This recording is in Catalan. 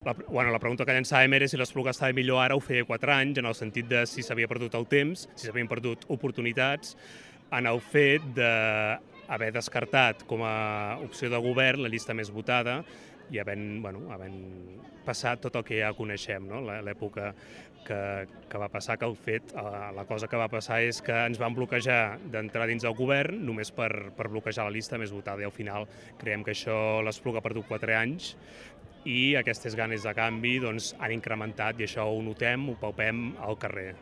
La pregunta que llançàvem era si l'Espluga estava millor ara o feia 4 anys, en el sentit de si s'havia perdut el temps, si s'havien perdut oportunitats, en el fet d'haver descartat com a opció de govern la llista més votada i havent passat tot el que ja coneixem, no? L'època que va passar, que el fet, la cosa que va passar és que ens van bloquejar d'entrar dins del govern només per bloquejar la llista més votada, i al final creiem que això l'Espluga ha perdut 4 anys i aquestes ganes de canvi han incrementat, i això ho notem, ho palpem al carrer.